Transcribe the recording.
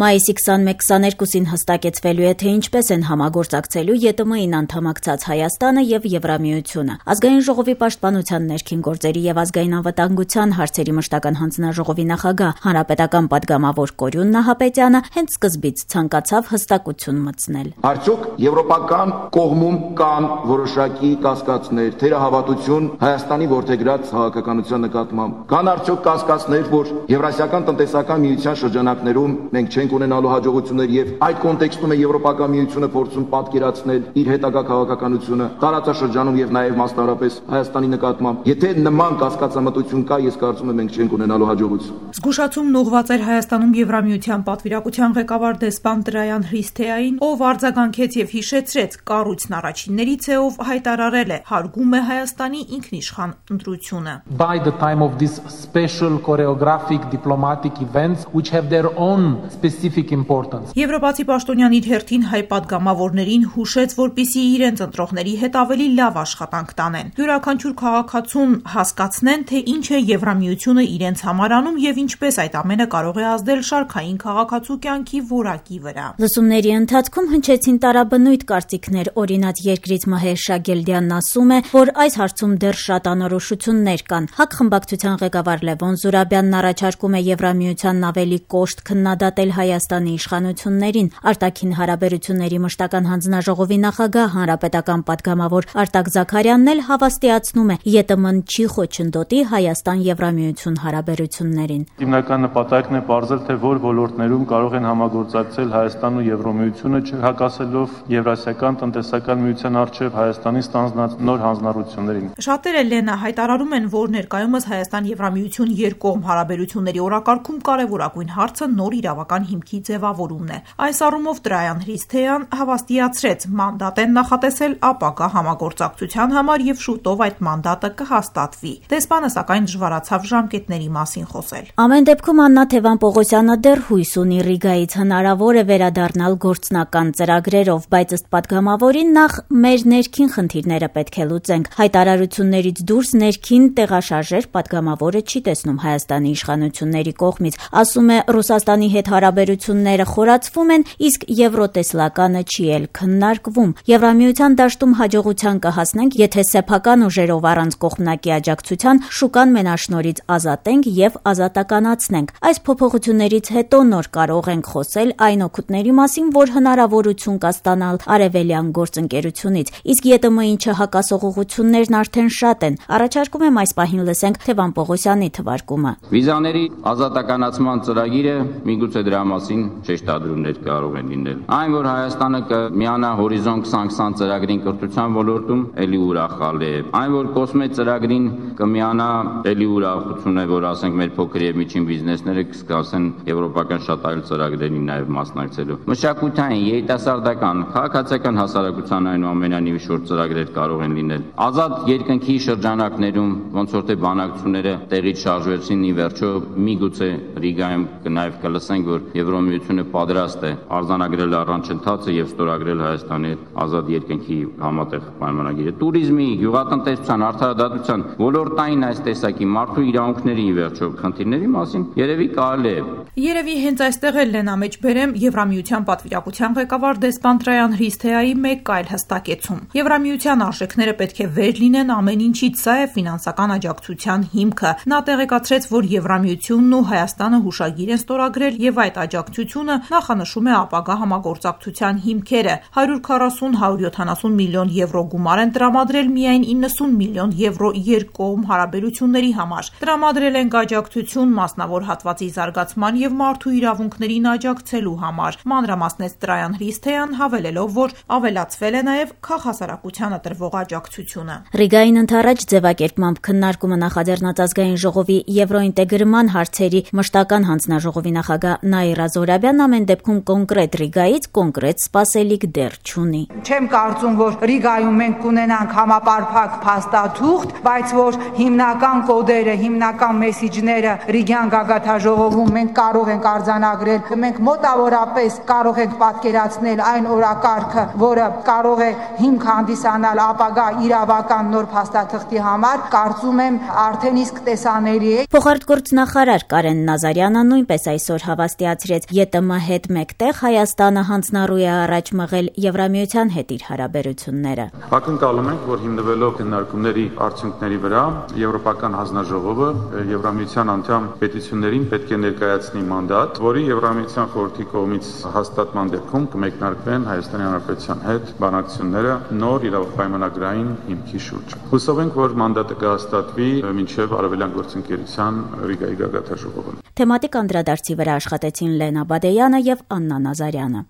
Մայիսի 21-22-ին հստակեցվելու է, թե ինչպես են համագործակցելու ԵՏՄ-ին անդամակցած Հայաստանը եւ Եվրամիությունը։ Ազգային ժողովի պաշտպանության, ներքին գործերի եւ ազգային անվտանգության հարցերի մշտական հանձնաժողովի նախագահ հանրապետական պատգամավոր Կորյուն Նահապետյանը հենց սկզբից ցանկացավ հստակություն մտցնել։ Արդյոք եվրոպական կողմում կան որոշակի կասկածներ, թերահավատություն Հայաստանի որդեգրած քաղաքականության նկատմամբ։ Կան արդյոք կասկածներ, որ Եվրասիական տնտեսական միության շրջանակներում մենք չենք ունենալու հաջողություններ եւ այդ կոնտեքստում է Եվրոպական միությունը փորձում պատկերացնել իր հետագա քաղաքականությունը տարածաշրջանում եւ նաեւ մասնավորապես Հայաստանի նկատմամբ։ Եթե նման կասկածամտություն կա, ես կարծում եմ մենք չենք ունենալու հաջողություն։ Զգուշացումն ուղղված էր Հայաստանում Եվրամիության պատվիրակության ղեկավար դեսպան Տրայան Հրիսթեային, ով արձագանքեց եւ հիշեցրեց կառույցն առաջիններից է, ով հայտարարել է հարգում է Հայաստանի ինքնիշխան ընտրությունը։ By the time of these special choreographic diplomatic events which have their own specific importance. Եվրոպացի պաշտոնյան իր հերթին հայ պատգամավորներին հուշեց, որպիսի իրենց ընտրողների հետ ավելի լավ աշխատանք տանեն։ Յուրաքանչյուր քաղաքացուն հասկացնեն, թե ինչ է Եվրամիությունը իրենց համար անում եւ ինչպես այդ ամենը կարող է ազդել շարքային քաղաքացու կյանքի որակի վրա։ Լսումների ընթացքում հնչեցին տարաբնույթ կարծիքներ, օրինակ երկրից Մհեր Շագելդյանն ասում է, որ այս հարցում դեռ շատ անորոշություններ կան։ ՀԱԿ խմբակցության ղեկավար Լևոն Զուրաբյանն առաջարկում է Եվրամիությանն ավելի կոշտ քննադատել Հայաստանի իշխանություններին։ Արտաքին հարաբերությունների մշտական հանձնաժողովի նախագահ հանրապետական պատգամավոր Արտակ Զաքարյանն էլ հավաստիացնում է, ԵՏՄ-ն չի խոչընդոտի Հայաստան-Եվրամիություն հարաբերություններին։ Հիմնական նպատակն է պարզել, թե որ ոլորտներում կարող են համագործակցել Հայաստան ու Եվրամիությունը, չհակասելով Եվրասիական տնտեսական միության առջև Հայաստանի ստանձնած նոր հանձնառություններին։ Շատերը Լենա հայտարարում են, որ ներկայումս Հայաստան-Եվրամիություն երկկողմ հարաբերությունների օրակարգում կարևորագույն հարցը նոր իրավական հիմքի ձևավորումն է։ Այս առումով Տրայան Հրիսթեյան հավաստիացրեց, մանդատ են նախատեսել ապագա համագործակցության համար եւ շուտով այդ մանդատը կհաստատվի։ Դեսպանը սակայն դժվարացավ ժամկետների մասին խոսել։ Ամեն դեպքում Աննա Թևան-Պողոսյանը դեռ հույս ունի Ռիգայից հնարավոր է վերադառնալ գործնական ծրագրերով, բայց ըստ պատգամավորին նախ մեր ներքին խնդիրները պետք է լուծենք։ Հայտարարություններից դուրս ներքին տեղաշարժեր պատգամավորը չի տեսնում Հայաստանի իշխանությունների կողմից։ Ասում է, Ռուսաստանի հետ հարաբերությունները խորացվում են, իսկ եվրոտեսլականը չի էլ քննարկվում։ Եվրամիության դաշտում հաջողության կհասնենք, եթե սեփական ուժերով առանց կողմնակի աջակցության շուկան մենաշնորհից ազատենք եւ ազատականացնենք։ Այս փոփոխություններից հետո նոր կարող ենք խոսել այն օգուտների մասին, որ հնարավորություն կա ստանալ արևելյան գործընկերությունից, իսկ ԵՏՄ-ին չհակասող ուղղություններն արդեն շատ են։ Առաջարկում եմ այս պահին լսենք Թևան Պողոսյանի թվարկումը։ Վիզաների ազատականացման ծրագիրը միգուցե դրա մասին շեշտադրումներ կարող են լինել։ Այն, որ Հայաստանը կմիանա Հորիզոն 2020 ծրագրին կրթության ոլորտում, ելի ուրախալ է։ Այն, որ Կոսմե ծրագրին կմիանա, ելի ուրախություն է, որ ասենք մեր փոքր եւ միջին բիզնեսները կսկսեն եվրոպական շատ այլ ծրագրերի նաեւ մասնակցելու։ Մշակութային, երիտասարդական, քաղաքացիական հասարակության այնուամենայնիվ շուրջ ծրագրեր կարող են լինել։ Ազատ երկնքի շրջանակներում ոնց որ թե բանակցությունները տեղից շարժվեցին, ի վերջո միգուցե Ռիգայում նաեւ կլսենք, որ Եվրամիությունը պատրաստ է արձանագրել առանցընթացը եւ ստորագրել Հայաստանի ազատ երկնքի համատեղ պայմանագիրը։ Տուրիզմի, գյուղատնտեսության, արդարադատության, ոլորտային այս տեսակի մարդու իրավունքների ի վերջո խնդիրների մասին երևի կարելի է։ Երևի հենց այստեղ էլ Լենա մեջ բերեմ Եվրամիության պատվիրակության ղեկավար դեսպան Տրայան Հրիսթեայի մեկ այլ հստակեցում։ Եվրամիության արժեքները պետք է վեր լինեն ամեն ինչից, սա է ֆինանսական աջակցության հիմքը։ Նա տեղեկացրեց, որ Եվրամիությունն ու Հայաստանը հուշագիր են ստորագրել եւ այդ աջակցությունը նախանշում է ապագա համագործակցության հիմքերը։ 140-170 միլիոն եվրո գումար են տրամադրել միայն 90 միլիոն եվրո երկկողմ հարաբերությունների համար։ Տրամադրել են աջակցություն մասնավոր հատվածի զարգացման եւ մարդու իրավունքներին աջակցելու համար։ Մանրամասնեց Տրայան Հրիսթեյան, հավելելով, որ ավելացվել է նաեւ քաղաքասարակությանը տրվող աջակցությունը։ Ռիգային ընդառաջ ձևակերպմամբ քննարկումը նախաձեռնած ազգային ժողովի եվրոինտեգրման հարցերի մշտական հանձնաժողովի նախագահ Նաիրա Զորաբյանն ամեն դեպքում կոնկրետ Ռիգայից կոնկրետ սպասելիք դեռ չունի։ Չեմ կարծում, որ Ռիգայում մենք կունենանք համապարփակ փաստաթուղթ, բայց որ հիմնական կոդերը, հիմնական մեսիջները Ռիգյան գագաթաժողովում մենք կարող ենք արձանագրել, մենք մոտավորապես կարող ենք պատկերացնել այն օրակարգը, որը կարող է հիմք հանդիսանալ ապագա իրավական նոր փաստաթղթի համար, կարծում եմ արդեն իսկ տեսանելի է։ Փոխարտգործնախարար Կարեն Նազարյանը նույնպես այսօր հավաստիացրեց, արձանագրեց, ԵՏՄ հետ մեկտեղ Հայաստանը հանձնառու է առաջ մղել Եվրամիության հետ իր հարաբերությունները։ Ակնկալում ենք, որ հիմնվելով քննարկումների արդյունքների վրա Եվրոպական հանձնաժողովը Եվրամիության անդամ պետություններին պետք է ներկայացնի մանդատ, որի Եվրամիության խորհրդի կողմից հաստատման դեպքում կմեկնարկվեն Հայաստանի Հանրապետության հետ բանակցությունները նոր իրավապայմանագրային հիմքի շուրջ։ Հուսով ենք, որ մանդատը կհաստատվի մինչև Արևելյան գործընկերության Ռիգայի գագաթնաժողովը։ Թեմատիկ անդրադարձի վրա աշխատեցին Լենա Բադեյանը եւ Աննա Նազարյանը։